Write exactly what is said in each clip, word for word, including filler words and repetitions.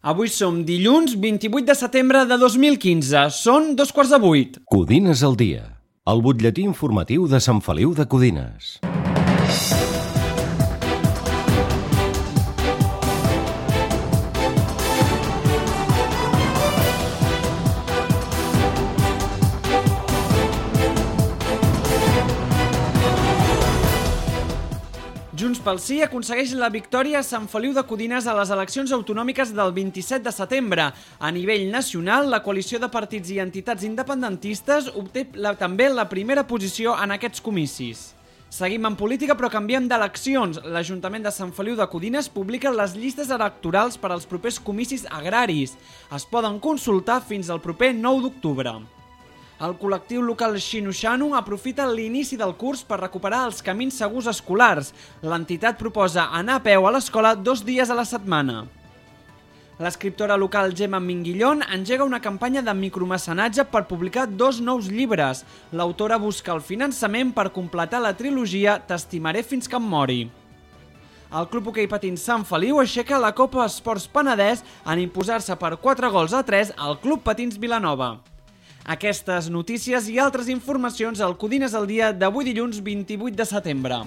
Avui som dilluns vint-i-vuit de setembre de dos mil quinze. Són dos quarts de vuit. Codines al dia. El butlletí informatiu de Sant Feliu de Codines. Junts pel Sí aconsegueix la victòria a Sant Feliu de Codines a les eleccions autonòmiques del vint-i-set de setembre. A nivell nacional, la coalició de partits i entitats independentistes obté la, també la primera posició en aquests comicis. Seguim en política però canviem d'eleccions. L'Ajuntament de Sant Feliu de Codines publica les llistes electorals per als propers comicis agraris. Es poden consultar fins al proper nou d'octubre. El col·lectiu local Xinu-Xanu aprofita l'inici del curs per recuperar els camins segurs escolars. L'entitat proposa anar a peu a l'escola dos dies a la setmana. L'escriptora local Gemma Minguillón engega una campanya de micromecenatge per publicar dos nous llibres. L'autora busca el finançament per completar la trilogia T'estimaré fins que em mori. El Club Hoquei Patins Sant Feliu aixeca la Copa Esports Penedès en imposar-se per quatre gols a tres al Club Patins Vilanova. Aquestes notícies i altres informacions al Codines al dia d'avui dilluns vint-i-vuit de setembre.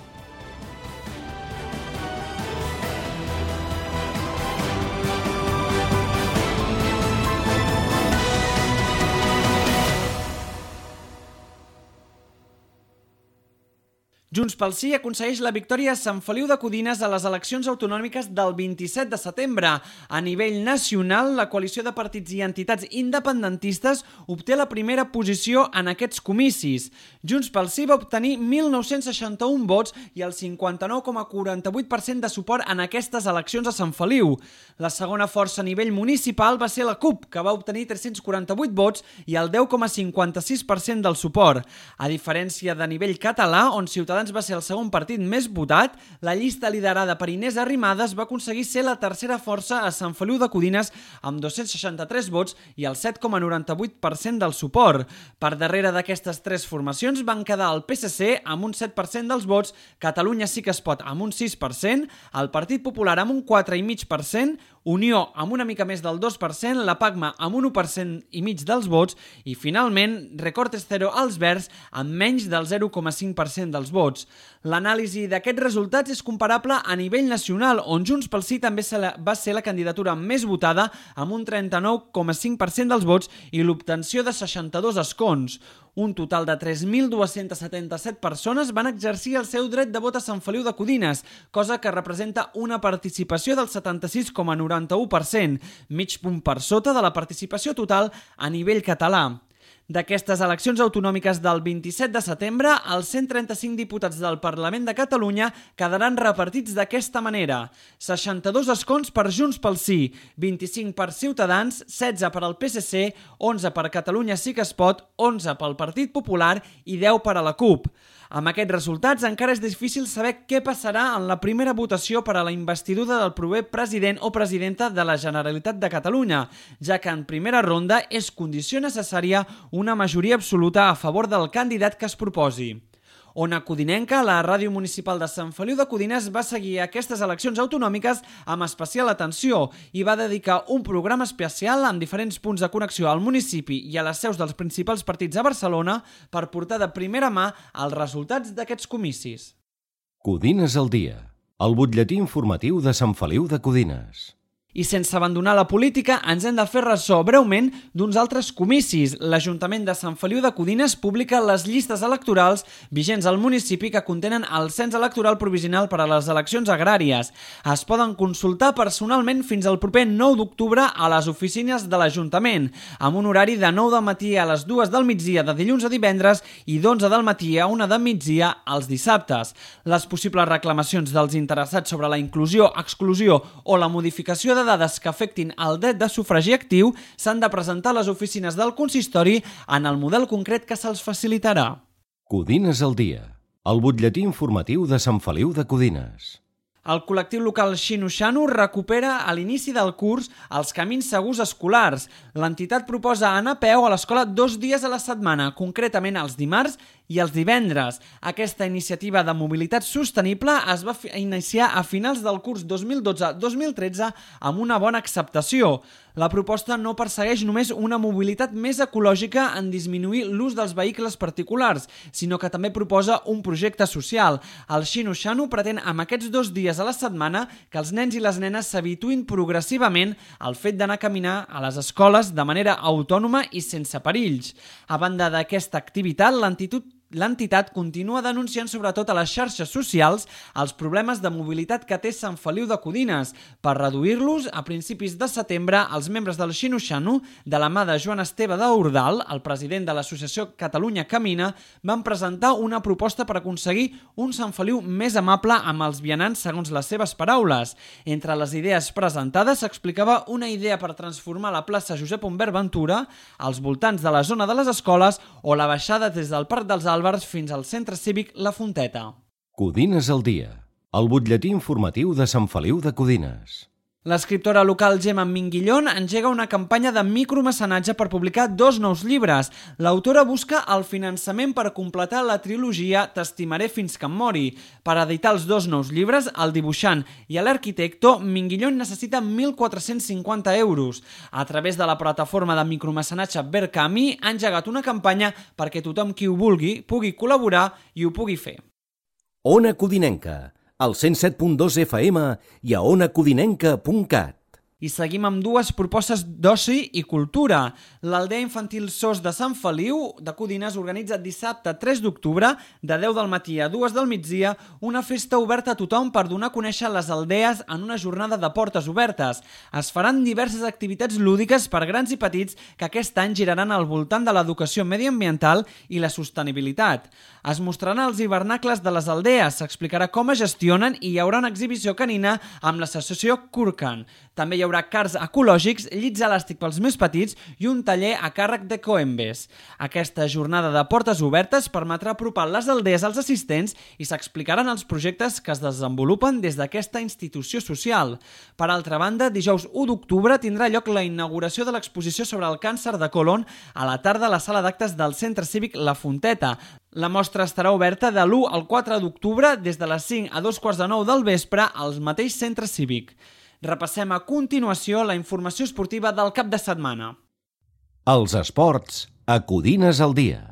Junts pel Sí aconsegueix la victòria a Sant Feliu de Codines a les eleccions autonòmiques del vint-i-set de setembre. A nivell nacional, la coalició de partits i entitats independentistes obté la primera posició en aquests comicis. Junts pel Sí va obtenir mil nou-cents seixanta-un vots i el cinquanta-nou coma quaranta-vuit per cent de suport en aquestes eleccions a Sant Feliu. La segona força a nivell municipal va ser la CUP, que va obtenir tres-cents quaranta-vuit vots i el deu coma cinquanta-sis per cent del suport. A diferència de nivell català, on Ciutadans va ser el segon partit més votat, la llista liderada per Inés Arrimadas va aconseguir ser la tercera força a Sant Feliu de Codines amb dos-cents seixanta-tres vots i el set coma noranta-vuit per cent del suport. Per darrere d'aquestes tres formacions van quedar el P S C amb un set per cent dels vots, Catalunya Sí que es pot amb un sis per cent, el Partit Popular amb un quatre coma cinc per cent, Unió amb una mica més del dos per cent, la PACMA amb un u per cent i mig dels vots i, finalment, Recortes Cero als Verds amb menys del zero coma cinc per cent dels vots. L'anàlisi d'aquests resultats és comparable a nivell nacional, on Junts pel Sí també va ser la candidatura més votada amb un trenta-nou coma cinc per cent dels vots i l'obtenció de seixanta-dos escons. Un total de tres mil dues-centes setanta-set persones van exercir el seu dret de vot a Sant Feliu de Codines, cosa que representa una participació del setanta-sis coma noranta-u per cent, mig punt per sota de la participació total a nivell català. D'aquestes eleccions autonòmiques del vint-i-set de setembre, els cent trenta-cinc diputats del Parlament de Catalunya quedaran repartits d'aquesta manera. seixanta-dos escons per Junts pel Sí, vint-i-cinc per Ciutadans, setze per al P S C, onze per Catalunya Sí que es pot, onze pel Partit Popular i deu per a la CUP. Amb aquests resultats encara és difícil saber què passarà en la primera votació per a la investidura del proper president o presidenta de la Generalitat de Catalunya, ja que en primera ronda és condició necessària una majoria absoluta a favor del candidat que es proposi. Ona Codinenca, la ràdio municipal de Sant Feliu de Codines, va seguir aquestes eleccions autonòmiques amb especial atenció i va dedicar un programa especial amb diferents punts de connexió al municipi i a les seus dels principals partits a Barcelona per portar de primera mà els resultats d'aquests comicis. Codines al dia. El butlletí informatiu de Sant Feliu de Codines. I sense abandonar la política, ens hem de fer ressò breument d'uns altres comicis. L'Ajuntament de Sant Feliu de Codines publica les llistes electorals vigents al municipi que contenen el cens electoral provisional per a les eleccions agràries. Es poden consultar personalment fins al proper nou d'octubre a les oficines de l'Ajuntament, amb un horari de nou del matí a les dues del migdia de dilluns a divendres i d'onze del matí a una del migdia als dissabtes. Les possibles reclamacions dels interessats sobre la inclusió, exclusió o la modificació de dades que afectin el dret de sufragi actiu s'han de presentar a les oficines del consistori en el model concret que se'ls facilitarà. Codines al dia. El butlletí informatiu de Sant Feliu de Codines. El col·lectiu local Xinu-Xanu recupera a l'inici del curs els camins segurs escolars. L'entitat proposa anar a peu a l'escola dos dies a la setmana, concretament els dimarts i els divendres. Aquesta iniciativa de mobilitat sostenible es va iniciar a finals del curs dos mil dotze dos mil tretze amb una bona acceptació. La proposta no persegueix només una mobilitat més ecològica en disminuir l'ús dels vehicles particulars, sinó que també proposa un projecte social. El Xino Xano pretén amb aquests dos dies a la setmana que els nens i les nenes s'habituïn progressivament al fet d'anar a caminar a les escoles de manera autònoma i sense perills. A banda d'aquesta activitat, l'entitat L'entitat continua denunciant sobretot a les xarxes socials els problemes de mobilitat que té Sant Feliu de Codines. Per reduir-los, a principis de setembre, els membres del Xino Xano, de la mà de Joan Esteve d'Ordal, el president de l'associació Catalunya Camina, van presentar una proposta per aconseguir un Sant Feliu més amable amb els vianants, segons les seves paraules. Entre les idees presentades s'explicava una idea per transformar la plaça Josep Humbert Ventura als voltants de la zona de les escoles o la baixada des del Parc dels Àlbers fins al centre cívic La Fonteta. Codines al dia, el butlletí informatiu de Sant Feliu de Codines. L'escriptora local Gemma Minguillón engega una campanya de micromecenatge per publicar dos nous llibres. L'autora busca el finançament per completar la trilogia T'estimaré fins que em mori. Per editar els dos nous llibres, el dibuixant i l'arquitecto, Minguillón necessita mil quatre-cents cinquanta euros. A través de la plataforma de micromecenatge Verkami ha engegat una campanya perquè tothom qui ho vulgui pugui col·laborar i ho pugui fer. Ona Codinenca, al cent set punt dos F M i a ona codinenca punt cat. I seguim amb dues propostes d'oci i cultura. L'Aldea Infantil Sos de Sant Feliu de Codines organitza dissabte tres d'octubre, de deu del matí a dues del migdia, una festa oberta a tothom per donar a conèixer les aldees en una jornada de portes obertes. Es faran diverses activitats lúdiques per grans i petits que aquest any giraran al voltant de l'educació mediambiental i la sostenibilitat. Es mostraran els hivernacles de les aldees, s'explicarà com es gestionen i hi haurà una exhibició canina amb l'associació Kurkan. També hi haurà cars ecològics, llits elàstic pels més petits i un taller a càrrec de Coembes. Aquesta jornada de portes obertes permetrà apropar les aldees als assistents i s'explicaran els projectes que es desenvolupen des d'aquesta institució social. Per altra banda, dijous u d'octubre tindrà lloc la inauguració de l'exposició sobre el càncer de colon a la tarda a la sala d'actes del Centre Cívic La Fonteta. La mostra estarà oberta de l'u al quatre d'octubre des de les cinc a dos quarts de nou del vespre al mateix Centre Cívic. Repassem a continuació la informació esportiva del cap de setmana. Els esports a Codines al dia.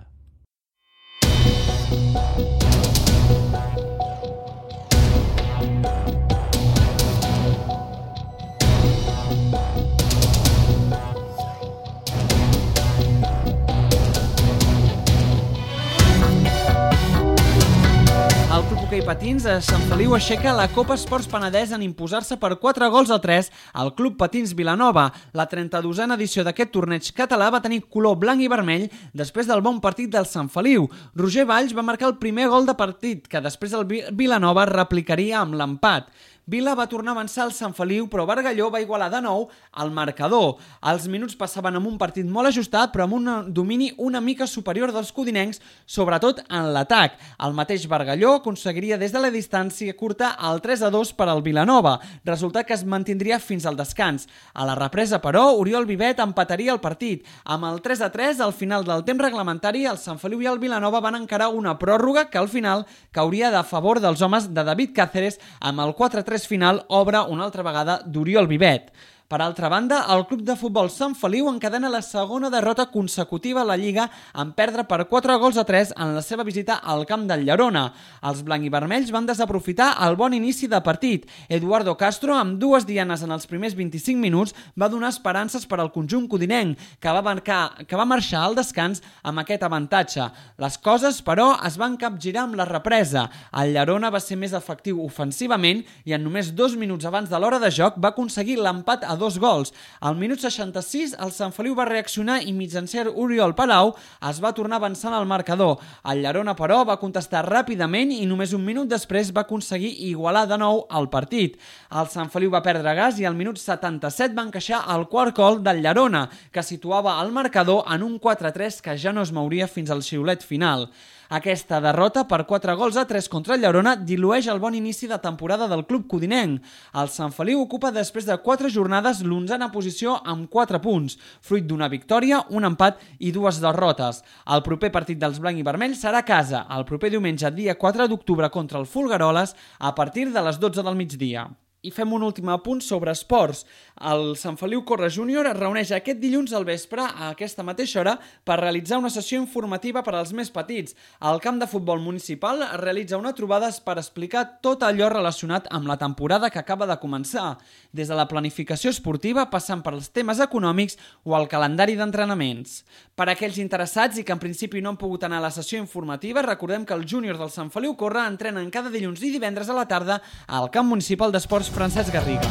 El Club Hoquei Patins a Sant Feliu aixeca la Copa Esports Penedès en imposar-se per quatre gols a tres al Club Patins Vilanova. La trenta-dosena edició d'aquest torneig català va tenir color blanc i vermell després del bon partit del Sant Feliu. Roger Valls va marcar el primer gol de partit, que després el Vilanova replicaria amb l'empat. Vila va tornar a avançar al Sant Feliu, però Bargalló va igualar de nou el marcador. Els minuts passaven amb un partit molt ajustat, però amb un domini una mica superior dels codinencs, sobretot en l'atac. El mateix Bargalló aconseguiria des de la distància curta el tres a dos per al Vilanova, resultat que es mantindria fins al descans. A la represa, però, Oriol Vivet empataria el partit. Amb el tres a tres, al final del temps reglamentari, el Sant Feliu i el Vilanova van encarar una pròrroga que al final cauria de favor dels homes de David Cáceres amb el quatre a tres final obre una altra vegada d'Oriol Vivet. Per altra banda, el Club de Futbol Sant Feliu encadena la segona derrota consecutiva a la Lliga en perdre per quatre gols a tres en la seva visita al camp del Llerona. Els blanc i vermells van desaprofitar el bon inici de partit. Eduardo Castro, amb dues dianes en els primers vint-i-cinc minuts, va donar esperances per al conjunt codinenc, que va, marcar, que va marxar al descans amb aquest avantatge. Les coses, però, es van capgirar amb la represa. El Llerona va ser més efectiu ofensivament i en només dos minuts abans de l'hora de joc va aconseguir l'empat a dos gols. Al minut seixanta-sis, el Sant Feliu va reaccionar i mitjancer Oriol Palau es va tornar avançant al marcador. El Llerona, però, va contestar ràpidament i només un minut després va aconseguir igualar de nou el partit. El Sant Feliu va perdre gas i al minut setanta-set va encaixar el quart gol del Llerona, que situava el marcador en un quatre a tres que ja no es mouria fins al xiulet final. Aquesta derrota per quatre gols a tres contra el Llaurona dilueix el bon inici de temporada del club codinenc. El Sant Feliu ocupa després de quatre jornades l'onzena posició amb quatre punts, fruit d'una victòria, un empat i dues derrotes. El proper partit dels blanc i vermell serà a casa, el proper diumenge, dia quatre d'octubre, contra el Folgueroles, a partir de les dotze del migdia. I fem un últim apunt sobre esports. El Sant Feliu Corre Júnior es reuneix aquest dilluns al vespre a aquesta mateixa hora per realitzar una sessió informativa per als més petits. Al camp de futbol municipal es realitza una trobada per explicar tot allò relacionat amb la temporada que acaba de començar, des de la planificació esportiva passant per els temes econòmics o el calendari d'entrenaments. Per a aquells interessats i que en principi no han pogut anar a la sessió informativa, recordem que els júniors del Sant Feliu Corre entrenen cada dilluns i divendres a la tarda al camp municipal d'esports Francesc Garriga.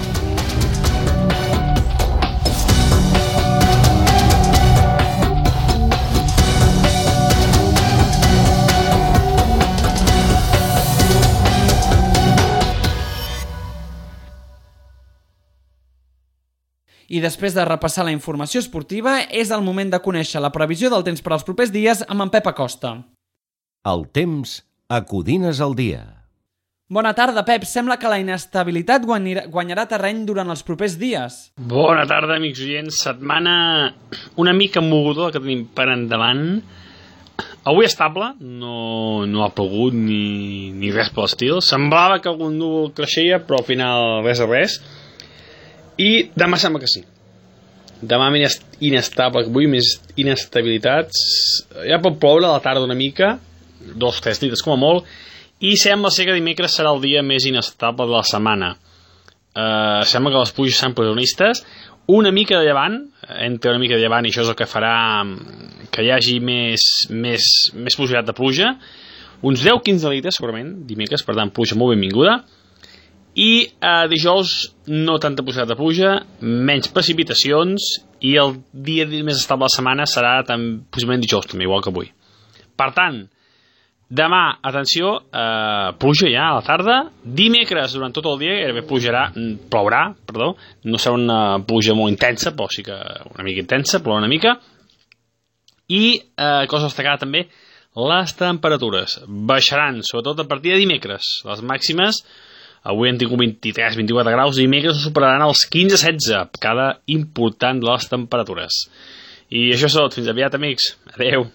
I després de repassar la informació esportiva, és el moment de conèixer la previsió del temps per als propers dies amb en Pep Acosta. El temps a Codines al dia. Bona tarda, Pep. Sembla que la inestabilitat guanyarà terreny durant els propers dies. Bona tarda, amics oients. Setmana una mica moguda que tenim per endavant. Avui estable, no, no ha plogut ni, ni res per l'estil. Semblava que algun núvol creixia, però al final res a res. I demà sembla que sí. Demà més inestable que avui, més inestabilitats. Ja pot ploure a la tarda una mica, dos o tres litres com a molt, i sembla ser que dimecres serà el dia més inestable de la setmana. Uh, sembla que les pluges seran protagonistes. Una mica de llevant, entre una mica de llevant, i això és el que farà que hi hagi més, més, més possibilitat de pluja. Uns deu a quinze litres, segurament, dimecres, per tant, pluja molt benvinguda. I uh, dijous, no tanta possibilitat de pluja, menys precipitacions, i el dia més estable de la setmana serà tan, possiblement dijous, també, igual que avui. Per tant, demà, atenció, eh, pluja ja a la tarda. Dimecres, durant tot el dia, gairebé plujarà, plourà, perdó. No serà una pluja molt intensa, però sí que una mica intensa, plourà una mica. I, eh, cosa destacada també, les temperatures baixaran, sobretot a partir de dimecres. Les màximes, avui han tingut vint-i-tres a vint-i-quatre graus, dimecres superaran els quinze a setze, cada important de les temperatures. I això és tot. Fins aviat, amics. Adeu.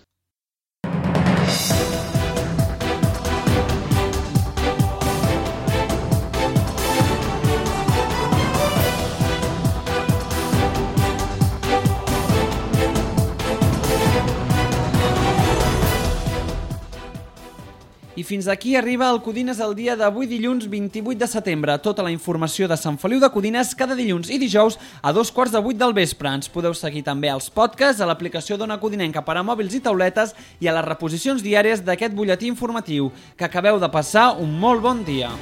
I fins aquí arriba el Codines al dia d'avui, dilluns vint-i-vuit de setembre. Tota la informació de Sant Feliu de Codines cada dilluns i dijous a dos quarts de vuit del vespre. Ens podeu seguir també als podcasts, a l'aplicació d'Ona Codinenca per a mòbils i tauletes i a les reposicions diàries d'aquest butlletí informatiu. Que acabeu de passar un molt bon dia.